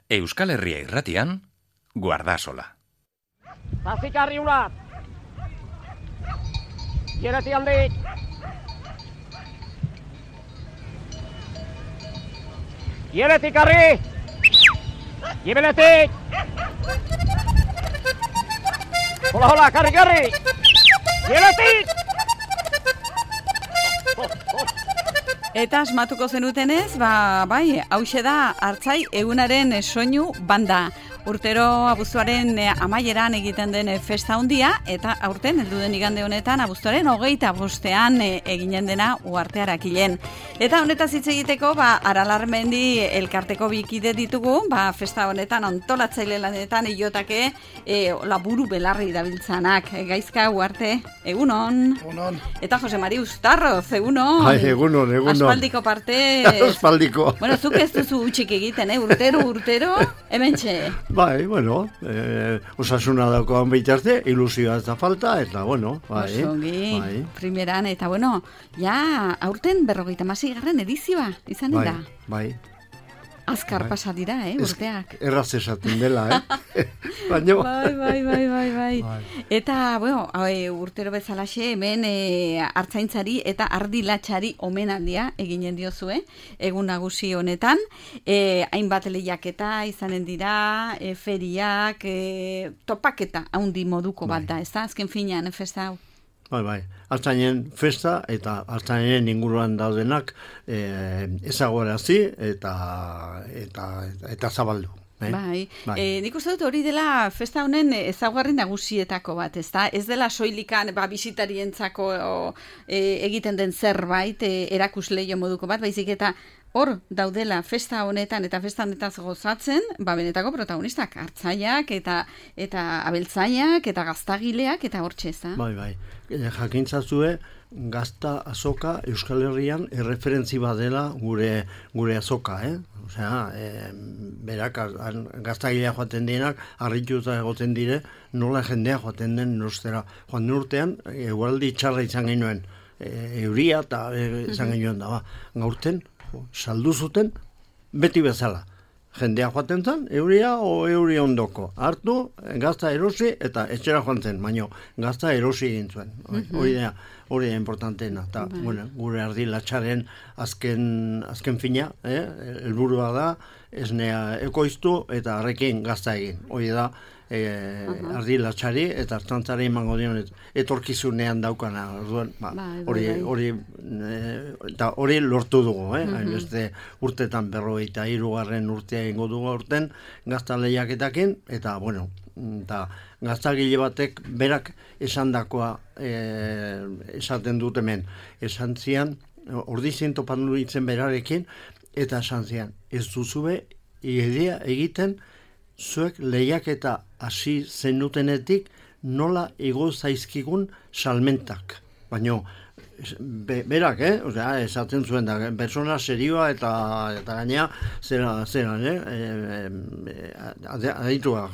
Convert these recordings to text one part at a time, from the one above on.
Euskal Herria Irratian, Guardasola. Zazikarri unat. Gereti handik. Geretik karri. Gibeletik. Hola, karri. Geretik. Eta asmatuko zenutenez, bai, hauxe da Artzai egunaren soinu banda. Urtero abuztuaren amaieran egiten den festa handia, eta aurten heldu den igande honetan abuztuaren 25ean eginen dena Uhartearakilen. Eta honetaz hitz egiteko, Aralarmendi elkarteko bikide ditugu, festa honetan antolatzaile lanetan ilotake laburu belarri dabiltzanak. Gaizka Uharte, egunon. Egunon. Eta Jose Mari Uztarroz, egunon. Bai, egunon. Aspaldiko parte. Aspaldiko. Bueno, zuk ez duzu utxik egiten, urtero, hementxe. Bai, osasuna daukoan bitarte, ilusioa ez da falta, eta bai. Osongi, primeran, eta ja, aurten 56. edizioa, izan da. Bai. Azkar pasa dira, urteak. Erraz esaten dela, Baina... Bai. Eta, urtero bezalaxe, hemen artzaintzari eta ardilatxari omenaldia eginen diozue, egun nagusi honetan. Hainbat lehiaketa izanen dira, feriak, topaketa haundi moduko bat da, ez da? Azken finean, festa hau. Bai. Artzainen festa eta artzainen inguruan daudenak ezaguarazi eta zabaldu. Bai. Nik uste dut hori dela festa honen ezaugarri nagusietako bat, ez da? Ez dela soilikan bisitarientzako egiten den zerbait, erakusleio moduko bat, baizik eta hor daudela festa honetan eta festa honetaz gozatzen, benetako protagonistak, artzaiak eta abeltzaiak eta gaztagileak eta hortxe, ez da? Bai. Jakintzazue, gazta azoka Euskal Herrian erreferentzi badela gure azoka, Osea, berak gaztagilea joaten dienak, harrituta egoten dire, nola jendea joaten den nostera. Joan den urtean, egualdi txarra izan genuen, euria eta izan genuen da, gaurten, saldu zuten, beti bezala. Jendea joaten zen, euria o euri ondoko. Hartu, gazta erosi eta etxera joan zen, baina gazta erosi egin zuen. Hori da importanteena. Eta, gure ardilatxaren azken fina, helburua da, esnea ekoiztu eta harrekin gazta egin. Hori da, ardilatxari eta artzantzari emango dion etorkizunean daukana. Hori lortu dugu, beste urtetan 53. urtea egingo dugu urten gazta lehiaketakin, eta gaztagile batek berak esandakoa esaten dut hemen. Esan zian, ordizien topandu ditzen berarekin, eta esan zian, ez duzue idea egiten zuek lehiaketa hasi zenutenetik nola igo zaizkigun salmentak. Baina, berak, esaten zuen da, persona serioa eta gainea zeran, aditua,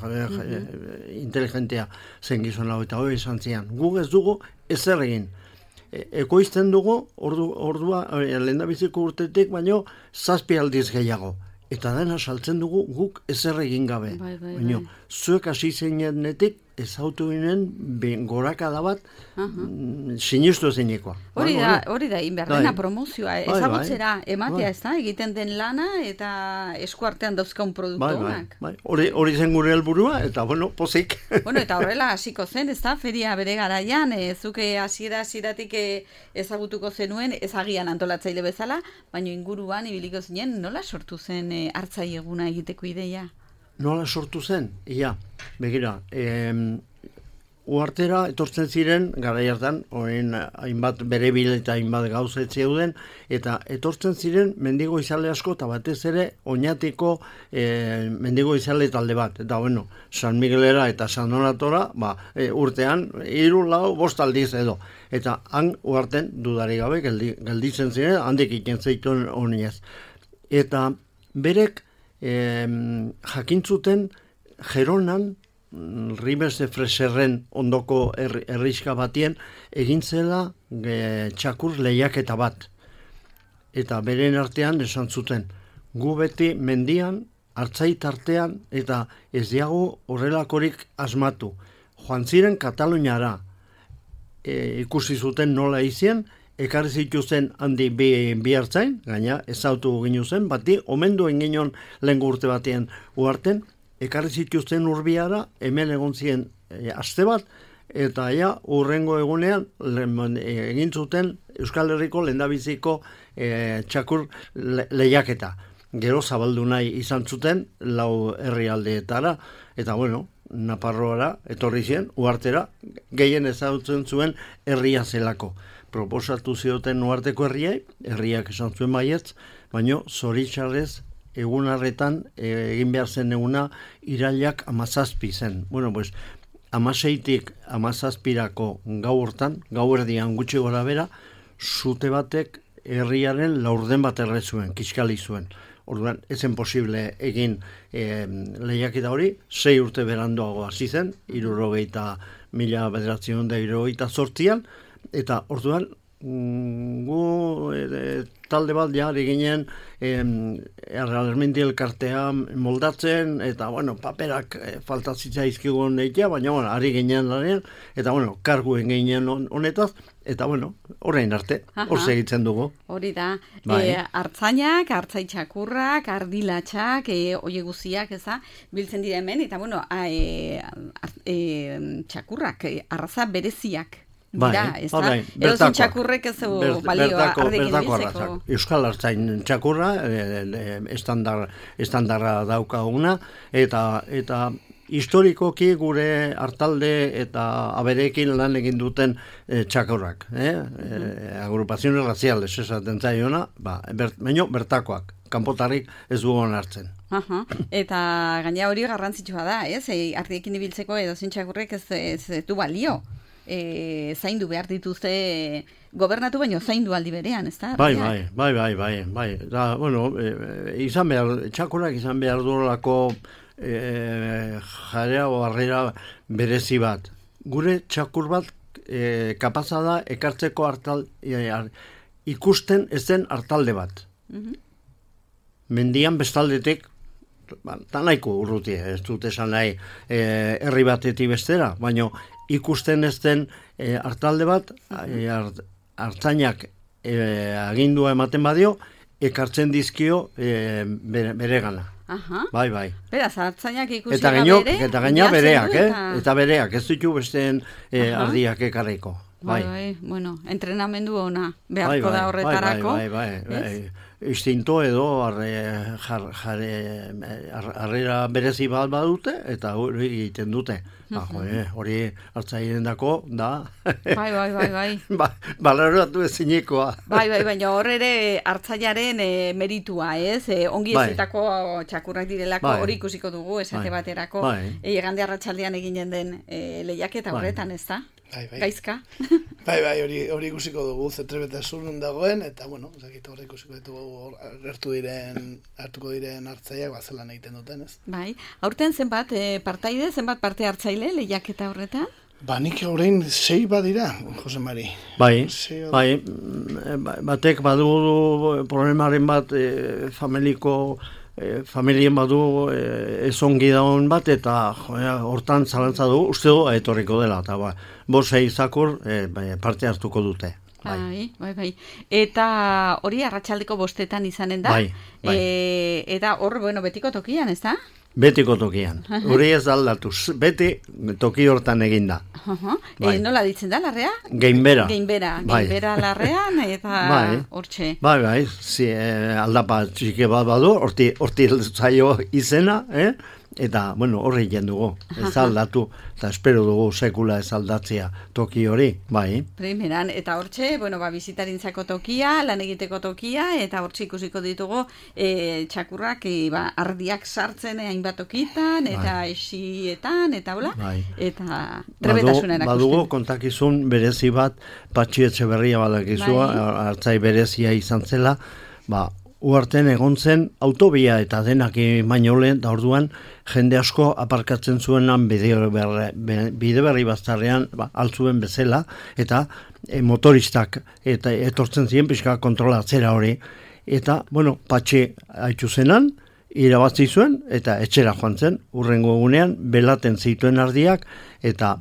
inteligentea zen gizon hau, eta hori esan zian. Guk ez dugu ezer egin. Ekoizten dugu, ordua, lehendabiziko urtetik, baina 7 aldiz gehiago. Eta dena saltzen dugu guk ezer egin gabe. Baina, zuek hasi zeinenetik ezautu ginen gorakada bat sinistu zeinekoa. Hori da, inberdena promozioa, ezagutzera ematea, ez da, egiten den lana eta eskuartean dauzkaun produktu honak. Hori zen gure helburua, eta pozik. Eta horrela hasiko zen, ez da, feria bere garaian, zuke hasieratik ezagutuko zenuen, ezagian antolatzaile bezala, baina inguruan ibiliko zinen, nola sortu zen Artzai eguna egiteko ideia? Nola sortu zen? Begira, Uhartera etortzen ziren, garai hartan, hainbat berebil eta hainbat gauzet zeuden, eta etortzen ziren mendigo izale asko, eta batez ere, Oñatiko mendigo izale talde bat. Eta, San Miguelera eta San Donatora, urtean, 3, 4, 5 aldiz edo. Eta han Uharten dudari gabe, gelditzen ziren, handik iken zeituen honiez. Eta berek jakintzuten Geronan, Ribes de Freserren ondoko herriska batien egin zela txakur lehiaketa bat. Eta beren artean esan zuten, gu beti mendian hartzai tartean, eta ez diago horrelakorik asmatu. Joan ziren Kataluniara, ikusi zuten nola izien, ekarri zituzten handi bi hartzain, gaina ezautu ginu zen, bati, omendu enginon lehen urte batien uarten, ekarri zituzten urbiara, hemen egon ziren aste bat, eta urrengo egunean egin zuten Euskal Herriko lehendabiziko txakur lehiaketa. Gero zabaldu nahi izan zuten 4 herrialdeetara, eta bueno, Naparroara etorri ziren, uartera, gehien ezagutzen zuen herria zelako. Proposatu zioten uarteko herriak esan zuen baietz, baino zoritxarrez egun harretan egin behar zen eguna irailak 17 zen. Bueno, pues, 16tik 17rako gau hortan, gau erdian gutxi gora bera, zute batek herriaren laurden bat erre zuen, kiskali zuen. Orduan, ezen posible egin lehiaketa hori, 6 urte beranduago hasi zen, 1978an, eta orduan, gu talde bat jari ginen Errealmente elkartea moldatzen, eta bueno, paperak falta zitzaizkigun eitea, baina bueno, ari ginen lanean, eta bueno, karguen ginen honetaz, eta bueno, orain arte, hor segitzen dugu. Hori da, hartzainak, hartzaitxakurrak, ardilatxak, oie guziak, eza, biltzen dira hemen, eta bueno, txakurrak, arraza bereziak. Dira, ez da? Edozen txakurrek ez balioa ardekin ditzeko. Euskal Hartzain txakurra, estandarra daukaguna, eta historikoki gure hartalde eta aberekin lan egin duten txakurrak. Agrupazione raziales esaten zaiona, baino bertakoak, kanpotarrik ez dugun hartzen. Eta gaina hori garrantzitsua da, ez? Ardiekin ibiltzeko edozen txakurrek ez du balio. Zaindu behar dituzte gobernatu baino zaindu aldi berean, ez da? Bai. Da, bueno, txakurak izan behar durolako jarea o harrera berezi bat. Gure txakur bat kapaza da ekartzeko ikusten ezen hartalde bat. Mendian bestaldetik nahiko urruti, ez dut esan nahi herri batetik bestera, baino ikusten ez den hartalde bat, hartzainak agindua ematen badio, ekartzen dizkio bere gana. Bai. Beraz, hartzainak ikusi eta gaina bereak, eta bereak, ez ditu besteen ardiak ekarriko. Bai, bueno, entrenamendu ona beharko da horretarako. Bai. Instinto edo harrera berezi bat badute, eta hori egiten dute. Hori hartzaileen dako, da. Bai. Balaratu ezinekoa. Bai, baina hor ere hartzaiaren meritua, ez? Ongi ezitako txakurrak direlako hori ikusiko dugu, esate baterako. Egande arratsaldean eginen den lehiaketa horretan, ez da? Gaizka. Bai, hori ikusiko dugu, zetrebetasun dagoen, eta bueno, hori ikusiko dugu hartuko diren hartzaiak zelan egiten duten, ez? Bai, aurten zenbat partaide, zenbat parte hartzaile lehiaketa horretan? Nik horrein 6 badira, Jose Mari. Bai, batek badu problemaren bat familien badu ezongi daun bat, eta hortan zalantza du, uste du etorriko dela, eta 5 zakur parte hartuko dute. Bai. Eta hori arratsaldeko 5 izanen da? Bai. Eta hor, betiko tokian, ez da? Betiko tokian. Hori ez aldatuz. Beti toki hortan eginda. Nola ditzen da, larrea? Geinbera. Geinbera larrean, eta hortxe. Bai. Aldapa txike bat badu, horti zaio izena, eta, horri jendugu. Ez aldatu, eta espero dugu sekula ez aldatzea toki hori, bai. Primeran, eta hortxe, bizitarintzako tokia, lan egiteko tokia, eta hortxe ikusiko ditugu txakurrak ardiak sartzen hainbat tokitan, eta esietan, eta hola, eta trebetasunen akusten. Badugu kontakizun berezi bat, Patxi Etxeberria badakizua, hartzai berezia izan zela, uarten egon zen autobia eta denak baino lehen, da orduan jende asko aparkatzen zuenan bide berri baztarrean altzuen bezala, eta motoristak eta etortzen ziren pixka kontrolatzera hori, eta Patxi haitzu zenan, irabazi zuen eta etxera joan zen, urrengo egunean belaten zituen ardiak eta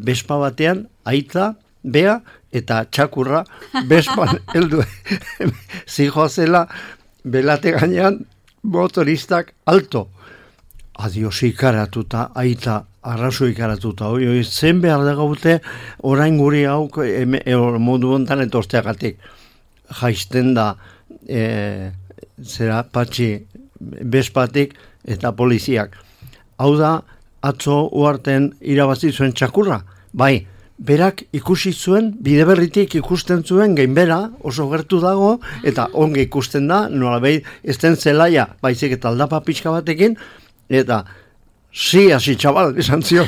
bespa batean aita, bea eta txakurra bespan heldu zijoazela belate gainean motoristak alto. Adios ikaratuta, aita arrazo ikaratuta, zen behar da gaute orain guri hau modu hontan etorteagatik. Jaisten da zera patxi bespatik eta poliziak. Hau da, atzo uarten irabazi zuen txakurra, bai, berak ikusi zuen, bideberritik ikusten zuen gainbera oso gertu dago, eta onge ikusten da, nolabait ez den zelaia, baizik eta aldapa pixka batekin, eta si, hasi txabal, esan zion.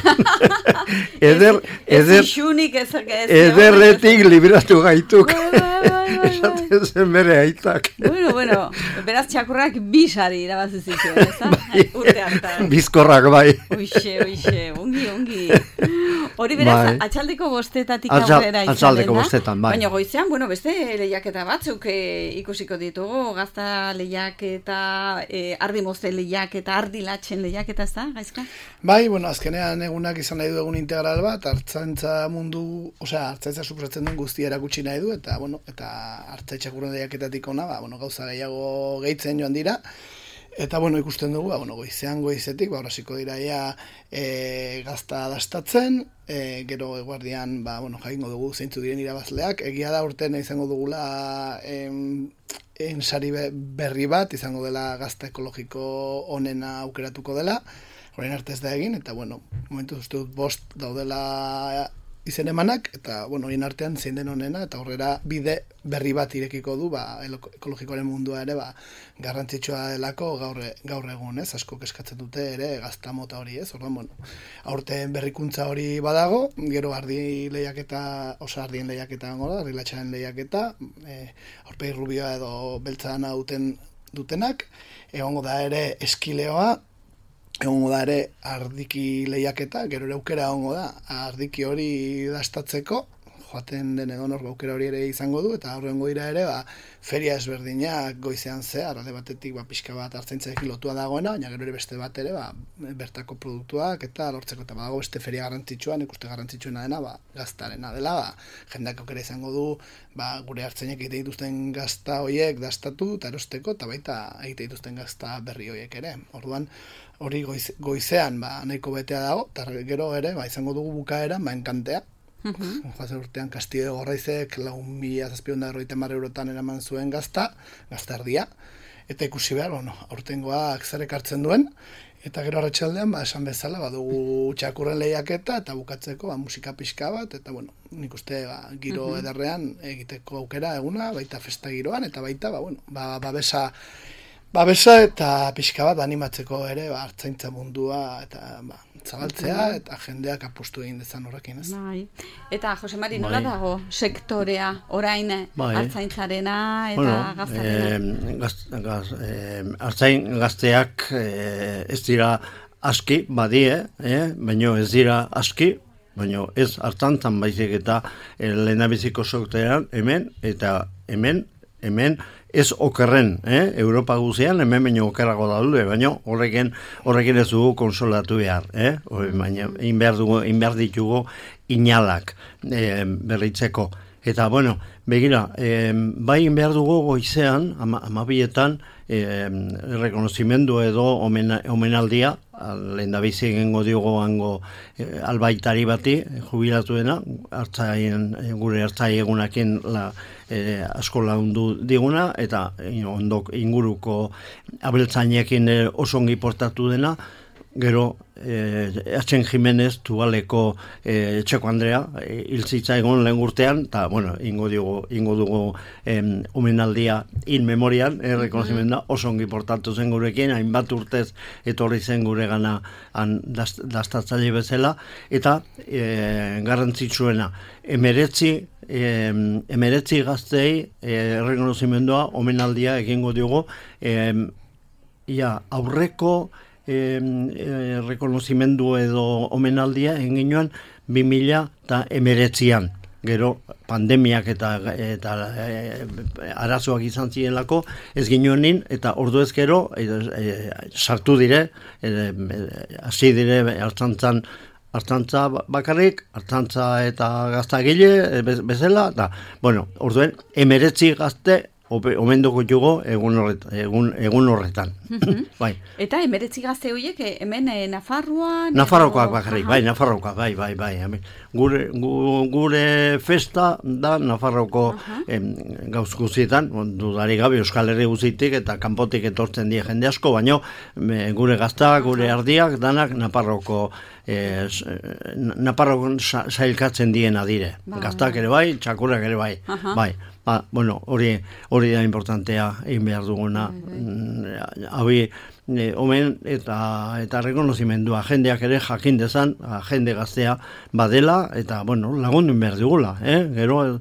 Ederretik libratu gaituk. Esaten zen bere aitak. Bueno, beraz txakurrak bisari irabazi zituen, ez da? Urte hartan. Bizkorrak bai. Uixe, ongi. Hori beraz, atxaldeko bostetatik aurrera izan. Atxaldeko bostetan, bai. Baina goizean, beste lehiaketa batzuk ikusiko ditugu, gazta lehiaketa, ardi mozte lehiaketa, ardi latxen lehiaketa, ez da, Gaizka? Bai, azkenean egunak izan nahi du egun integral bat, hartzaintza mundu, hartzaintza suposatzen duen guztia erakutsi nahi du, eta hartzaintza txakurren lehiaketatik ona, gauza gehiago gehitzen joan dira, eta ikusten dugu, goizetik, horasiko dira gazta dastatzen, gero eguardian, jakingo dugu zeintzu diren irabazleak, egia da urten izango dugula sari berri bat, izango dela gazta ekologiko onena aukeratuko dela, horrein arte ez da egin, eta momentu uste dut 5 daudela izen emanak, eta horien artean zein den onena, eta horrera bide berri bat irekiko du, ekologikoaren mundua ere, garrantzitsua delako gaur egun, ez, asko eskatzen dute ere gazta mota hori, ez, orduan, aurten berrikuntza hori badago, gero ardien lehiaketa, ardi latxaren lehiaketa, aurpegi rubioa edo beltzana dutenak, egongo da ere eskileoa, egongo da ere ardiki lehiaketa, gero ere aukera egongo da, ardiki hori dastatzeko, joaten den edonor aukera hori ere izango du, eta aurrengo dira ere, feria ezberdinak goizean zehar, alde batetik pixka bat hartzaintzarekin lotua dagoena, baina gero ere beste bat ere, bertako produktuak eta lortzeko, eta badago beste feria garrantzitsuan, ikuste garrantzitsuena dena, gaztarena dela, jendeak aukera izango du, gure hartzainek egite dituzten gazta horiek dastatu, eta erosteko, eta baita egite dituzten gazta berri horiek ere. Orduan, hori goizean nahiko betea dago, eta gero ere izango dugu bukaeran enkantea. Joazen urtean Castillo de Gorraizek 4.750 eurotan eraman zuen gazta erdia, eta ikusi behar, aurtengoak zer ekartzen duen, eta gero arratsaldean esan bezala badugu txakurren lehiaketa, eta bukatzeko musika pixka bat, eta nik uste giro ederrean egiteko aukera eguna, baita festa giroan, eta baita babesa eta pixka bat animatzeko ere hartzaintza mundua eta zabaltzea eta jendeak apustu egin dezan horrekin, ez? Bai. Eta Jose Mari, nola dago sektorea orain hartzaintzarena eta gaztarena? Hartzain gazteak ez dira aski badie, baina ez dira aski, baina ez hartzantzan baizik eta lehendabiziko sektorean hemen eta hemen ez okerren, Europa guzian, hemen baino okerrago daude, baina horrekin ez dugu konsolatu behar, baina inbehar ditugu inalak berritzeko. Eta, begira, bai inbehar dugu goizean, 12etan, rekonozimendu edo omenaldia, lehendabizi egingo diogo hango albaitari bati, jubilatu dena, gure hartzai egunakin asko laundu diguna, eta ondok inguruko abeltzainekin oso ongi portatu dena, gero Atxen Jimenez, Tubaleko Txeko Andrea, hiltzitza egon lehen urtean, eta, ingo dugu omenaldia in memorian, rekonozimenda, oso ongi portatu zen gurekin, hainbat urtez etorri zen gure gana dastatzaile bezala, eta garrantzitsuena, emeretzi gaztei rekonozimendua omenaldia egingo dugu, aurreko rekonozimendu edo omenaldia egin ginoan 2019an. gero pandemiak eta arazoak izan zirenlako, ez ginoenin, eta ordu ez gero, sartu dire, hasi dire hartzantza bakarrik, hartzantza eta gaztagile bezala, eta, bueno, orduen, 19 gazte, omenduko jugo egun horretan. Bai. Eta 19 gazte horiek hemen Nafarroan? Nafarrokoak bakarrik, bai, Nafarrokoak, bai. Gure festa da Nafarroko gauz guztietan, dudari gabe Euskal Herri guztitik eta kanpotik etortzen die jende asko, baino gure gaztak, gure ardiak, danak Nafarrokon sailkatzen diena dire. Gaztak ere bai, txakurrak ere bai. Bai. Bueno, hori da importantea egin behar duguna. Omen eta rekonozimendua jendeak ere jakin dezan, jende gaztea badela, eta, bueno, lagundu behar dugula. Gero,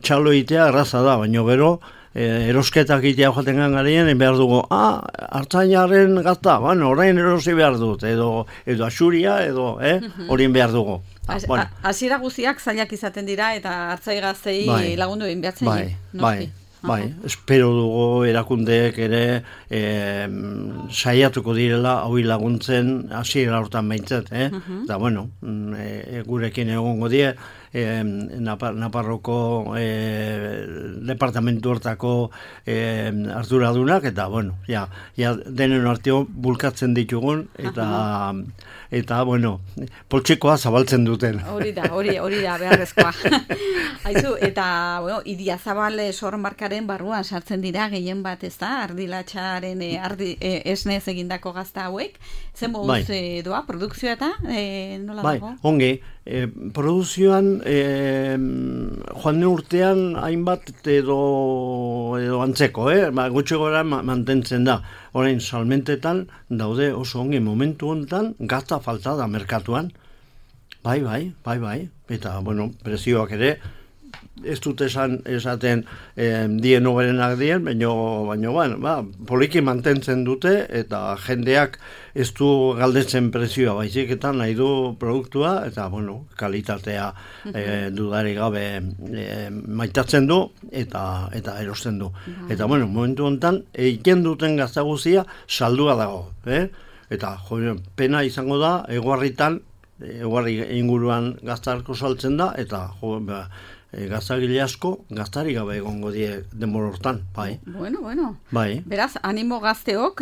txalo egitea erraza da, baina gero, erosketak egitea joaten gangarien, behar dugu, hartzainaren gazta, bueno, orain erosi behar dut, edo asuria, edo, horien behar dugu. Hasiera guztiak zailak izaten dira eta hartzai gaztei lagundu egin behatzen. Bai, espero dugu erakundeek ere saiatuko direla hau laguntzen hasiera hortan behintzat, eta bueno, gurekin egongo die, Naparroko departamentu hortako arduradunak, eta bueno, ja denen arteo bulkatzen ditugun, eta bueno, poltsikoa zabaltzen duten. Hori da, beharrezkoa. Haizu, eta, bueno, Idiazabal sormarkaren barruan sartzen dira gehien bat, ez da, ardilatxaren esnez egindako gazta hauek, zen moduz doa, produkzioa eta nola dago? Bai, ongi, produzioan joan urtean hainbat edo antzeko, gutxi gora mantentzen da. Orain salmentetan daude oso ongi momentu honetan gazta falta da merkatuan. Bai. Eta, bueno, prezioak ere ez dut esaten dien oberenak dien, baina poliki mantentzen dute eta jendeak ez du galdetzen prezioa, baizik eta nahi du produktua eta, bueno, kalitatea dudari gabe maitatzen du eta erosten du. Eta, bueno, momentu honetan eiken duten gazta guztia saldua dago, eta pena izango da eguarri inguruan gaztarko saltzen da, eta gaztagile asko gaztari gabe egongo die denbora hortan, bai. Bueno. Bai. Beraz, animo gazteok,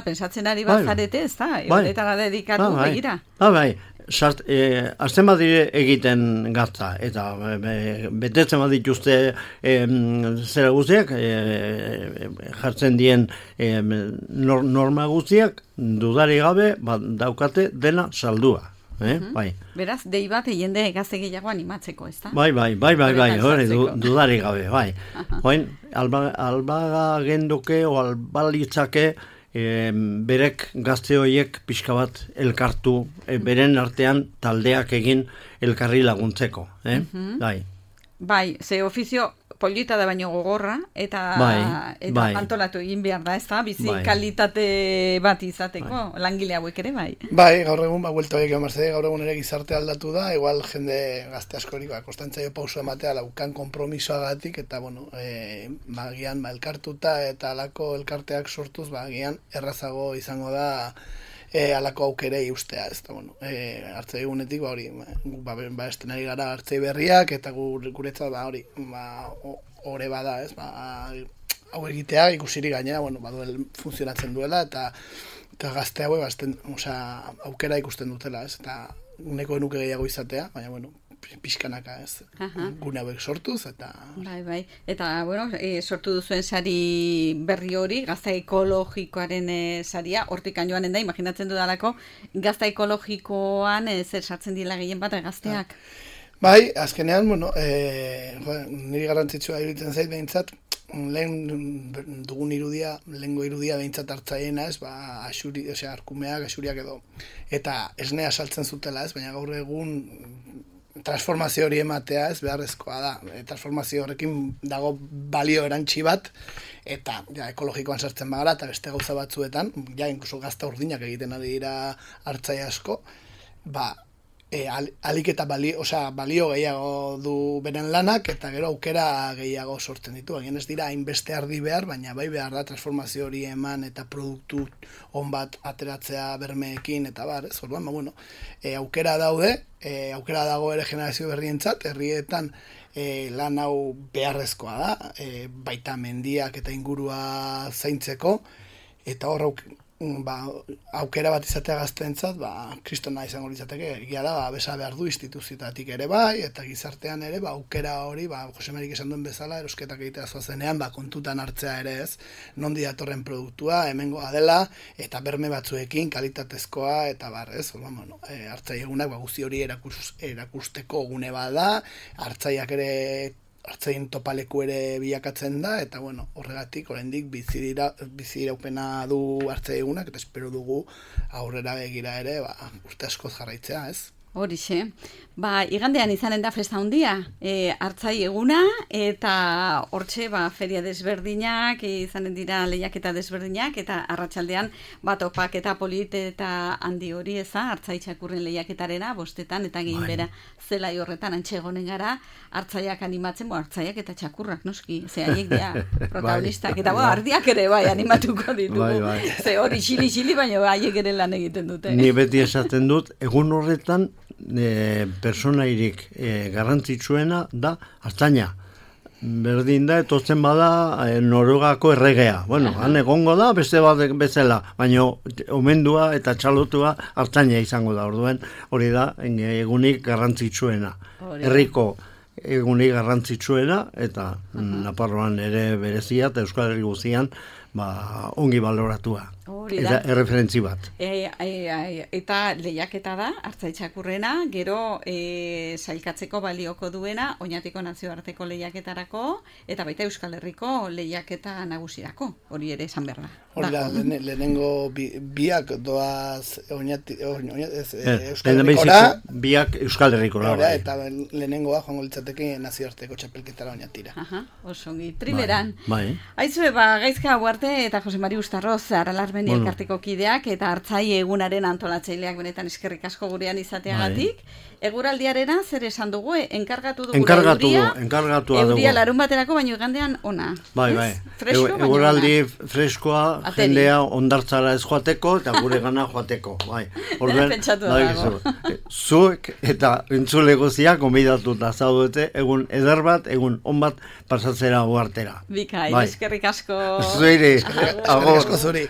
pensatzen ari bazarete, ez da? Horretara dedikatu begira. Bai. Azten badire egiten gazta, eta betetzen badituzte zera guztiak, jartzen dien norma guztiak, dudari gabe daukate dena saldua. Bai. Beraz, dei bat jende gazte gehiago animatzeko, ez da? Bai, hori, dudari gabe, bai. Hoin, albaga genduke o albalitzake berek gazte horiek pixka bat elkartu, beren artean taldeak egin elkarri laguntzeko, Bai, ze ofizio polita da baino gogorra, eta antolatu egin behar da, ez da? Bizi kalitate bat izateko, langile hauek ere, bai? Bai, gaur egun, buelta horiek emarze, gaur egun ere gizarte aldatu da, igual jende gazte askori, kostantzaio pauso ematea laukan kompromisoagatik, eta, bueno, bagian, elkartuta eta alako elkarteak sortuz, bagian, errazago izango da, alako aukerei ustea, ez da, bueno, hartzei egunetik, hori, estenari gara hartzei berriak, eta guretzat, hori, ore bada, ez, hau egitea, ikusirik gainera, bueno, funtzionatzen duela, eta gazte hau, aukera ikusten dutela, ez, eta uneko enuke gehiago izatea, baina, bueno, pixkanaka, ez, gune hauek sortuz, eta... Bai, eta, bueno, sortu duzuen sari berri hori, gazta ekologikoaren saria, hortik joanen da, imaginatzen dudalako, gazta ekologikoan zer sartzen dila gehien bat gazteak? Bai, azkenean, bueno, niri garrantzitsua iruditzen zait behintzat, dugun lehengo irudia behintzat hartzaiena, ez, arkumeak, asuriak edo, eta esnea saltzen zutela, ez, baina gaur egun transformazio hori ematea, ez, beharrezkoa da. Transformazio horrekin dago balio erantsi bat, eta ekologikoan sartzen bagara, eta beste gauza batzuetan, inkluso gazta urdinak egiten ari dira hartzai asko, alik eta balio gehiago du beren lanak, eta gero aukera gehiago sortzen ditu. Egin ez dira hainbeste ardi behar, baina bai behar da transformazio hori eman eta produktu on bat ateratzea bermeekin, eta bar, ez? Orduan, aukera daude, aukera dago ere generazio berrientzat, herrietan lan hau beharrezkoa da, baita mendiak eta ingurua zaintzeko, eta hor aukera bat izatea gaztentzat, kristona izango litzateke, egia da, besa behar du instituzioetatik ere bai, eta gizartean ere, aukera hori, Jose Marik esan duen bezala, erosketak egitea zoazenean, kontutan hartzea ere ez, nondi datorren produktua, hemengoa dela, eta berme batzuekin, kalitatezkoa, eta ez, hartzai egunak, guzti hori erakusteko gune bada, hartzaiak ere hartzaien topaleku ere bilakatzen da, eta horregatik oraindik biziraupena du hartzai egunak, eta espero dugu aurrera begira ere, urte askoz jarraitzea, ez? Horixe. Igandean izanen da festa handia, hartzai eguna, eta hortxe feria desberdinak, izanen dira lehiaketa desberdinak, eta arratsaldean topak eta polit eta handi hori hartzai txakurren lehiaketarena, bostetan, eta gehin bera zelai horretan antxegonen gara, hartzaiak animatzen, hartzaiak eta txakurrak, noski, ze haiek dira protagonistak, eta ardiak ere animatuko ditugu, ze hori xili-xili, baina haiek ere lan egiten dute. Ni beti esaten dut, egun horretan, personairik garrantzitsuena da hartzaina. Berdin da, etotzen bada Norogako erregea. Han egongo da, beste bat bezala, baina omendua eta txalotua hartzaina izango da. Orduen hori da egunik garrantzitsuena. Herriko egunik garrantzitsuena, eta Nafarroan ere berezia, eta Euskal Herri guztian ongi baloratua. Eta erreferentzi bat. Eta lehiaketa da, hartzai txakurrena, gero sailkatzeko balioko duena, Oñatiko nazioarteko lehiaketarako, eta baita Euskal Herriko lehiaketa nagusirako, hori ere esan behar da. Hori da, lehenengo biak doaz Euskal Herrikora. Biak Euskal Herrikora. Eta lehenengoa joango litzateke nazioarteko txapelketara Oñatira. Osongi, primeran. Aizue, gaizka Huarte eta Jose Mari Ustarroz, Aralarmeni elkarteko kideak, eta hartzai egunaren antolatzaileak benetan eskerrik asko gurean izateagatik. Eguraldiarena zer esan dugu, enkargatu dugu euria larun baterako, baino igandean ona. Eguraldi freskoa, jendea ondartzara ez joateko, eta gure gana joateko. Pentsatu dago. Zuek eta entzule guztiak konbidatuta zaudete, egun eder bat, egun on bat pasatzera Uhartera. Bikain, eskerrik asko. Zuire, eskerrik asko zuri.